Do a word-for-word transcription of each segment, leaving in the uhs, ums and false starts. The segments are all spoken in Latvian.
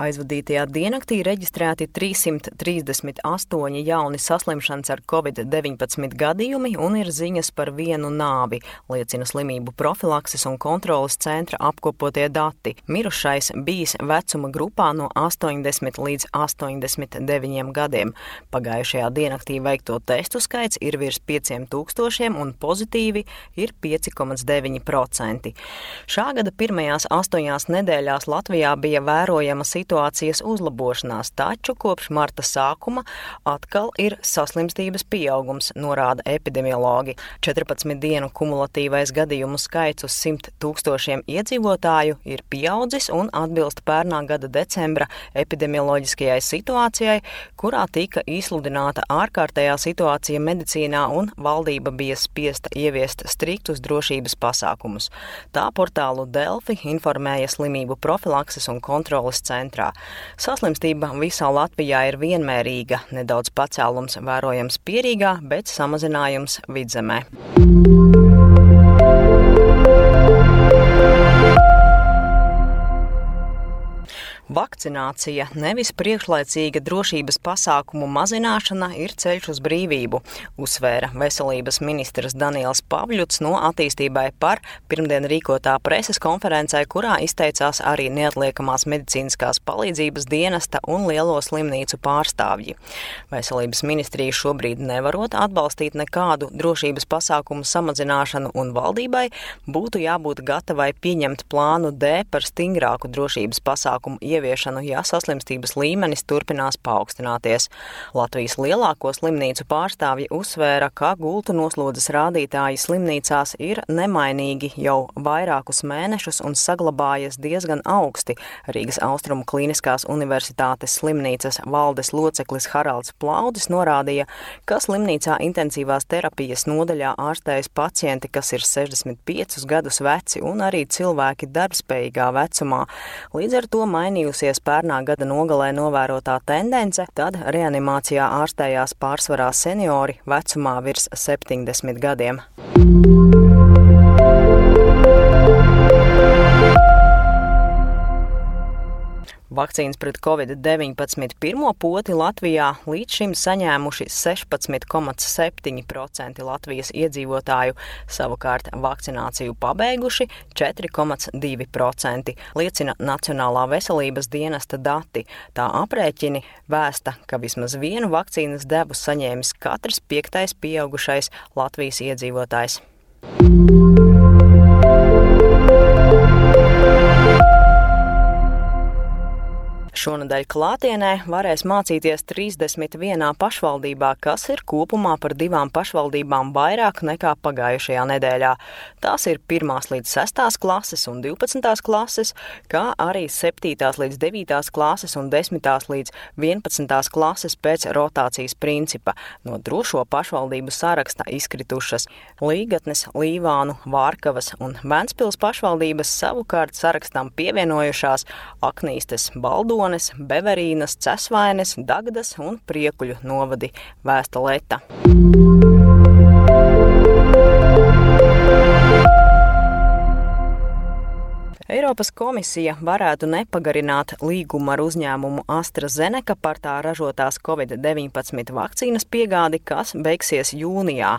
Aizvadītajā diennaktī reģistrēti trīssimt trīsdesmit astoņi jauni saslimšanas ar covid deviņpadsmit gadījumi un ir ziņas par vienu nāvi, liecina slimību profilakses un kontroles centra apkopotie dati. Mirušais bijis vecuma grupā no astoņdesmit līdz astoņdesmit deviņiem gadiem. Pagājušajā diennaktī veikto testu skaits ir virs pieciem tūkstošiem un pozitīvi ir pieci komats deviņi procenti. Šā gada pirmajās astoņās nedēļās Latvijā bija vērojama situācijas uzlabošanās, taču kopš marta sākuma atkal ir saslimstības pieaugums, norāda epidemiologi. četrpadsmit dienu kumulatīvais gadījumu skaits uz simt tūkstošiem iedzīvotāju ir pieaudzis un atbilst pērnā gada decembra epidemioloģiskajai situācijai, kurā tika izsludināta ārkārtējā situācija medicīnā un valdība bija spiesta ieviest striktus drošības pasākumus. Tā portālu Delfi informēja slimību profilakses un kontroles centrā. Saslimstība visā Latvijā ir vienmērīga, nedaudz pacēlums vērojams Pierīgā, bet samazinājums Vidzemē. Vakcinācija, nevis priekšlaicīga drošības pasākumu mazināšana, ir ceļš uz brīvību, uzsvēra veselības ministrs Daniels Pavļuts no Attīstībai par pirmdien rīkotā preses konferencē, kurā izteicās arī neatliekamās medicīniskās palīdzības dienesta un lielo slimnīcu pārstāvji. Veselības ministrija šobrīd nevarot atbalstīt nekādu drošības pasākumu samazināšanu un valdībai būtu jābūt gatavai pieņemt plānu D par stingrāku drošības pasākumu ieviešanu. ieviešanu, ja saslimstības līmenis turpinās paaugstināties. Latvijas lielāko slimnīcu pārstāvji uzsvēra, ka gultu noslodzes rādītāji slimnīcās ir nemainīgi jau vairākus mēnešus un saglabājas diezgan augsti. Rīgas Austrumu Kliniskās universitātes slimnīcas valdes loceklis Haralds Plaudis norādīja, ka slimnīcā intensīvās terapijas nodaļā ārstējas pacienti, kas ir sešdesmit piecus gadus veci un arī cilvēki darbspējīgā vecumā. Līdz ar to mainījusies pērnā gada nogalē novērotā tendence, tad reanimācijā ārstējās pārsvarā seniori vecumā virs septiņdesmit gadiem. Vakcīnas pret covid deviņpadsmit pirmo poti Latvijā līdz šim saņēmuši sešpadsmit komats septiņi procenti Latvijas iedzīvotāju, savukārt vakcināciju pabeiguši četri komats divi procenti, liecina Nacionālā veselības dienesta dati. Tā aprēķini vēsta, ka vismaz vienu vakcīnas devu saņēmis katrs piektais pieaugušais Latvijas iedzīvotājs. Šonadēļ klātienē varēs mācīties trīsdesmit vienā pašvaldībā, kas ir kopumā par divām pašvaldībām vairāk nekā pagājušajā nedēļā. Tās ir pirmās līdz sestās klases un divpadsmitās klases, kā arī septītās līdz devītās klases un desmitās līdz vienpadsmitās klases pēc rotācijas principa. No drošo pašvaldību saraksta izkritušas Līgatnes, Līvānu, Vārkavas un Ventspils pašvaldības, savukārt sarakstam pievienojušās Aknīstes, Baldones, Beverīnas, Cesvaines, Dagdas un Priekuļu novadi, vēsta Leta. Eiropas komisija varētu nepagarināt līgumu ar uzņēmumu AstraZeneca par tā ražotās covid deviņpadsmit vakcīnas piegādi, kas beigsies jūnijā.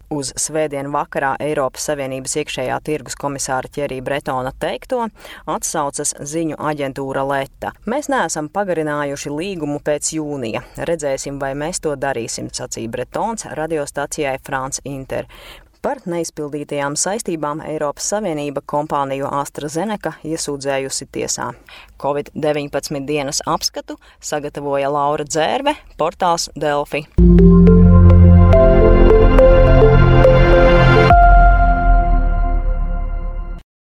Uz svētdienu vakarā Eiropas Savienības iekšējā tirgus komisāra Thierry Bretona teikto atsaucas ziņu aģentūra Leta. Mēs neesam pagarinājuši līgumu pēc jūnija. Redzēsim, vai mēs to darīsim, sacīja Bretons radiostacijai France Inter. Par neizpildītajām saistībām Eiropas Savienība kompāniju AstraZeneca iesūdzējusi tiesā. covid deviņpadsmit dienas apskatu sagatavoja Laura Dzērve, portāls Delfi.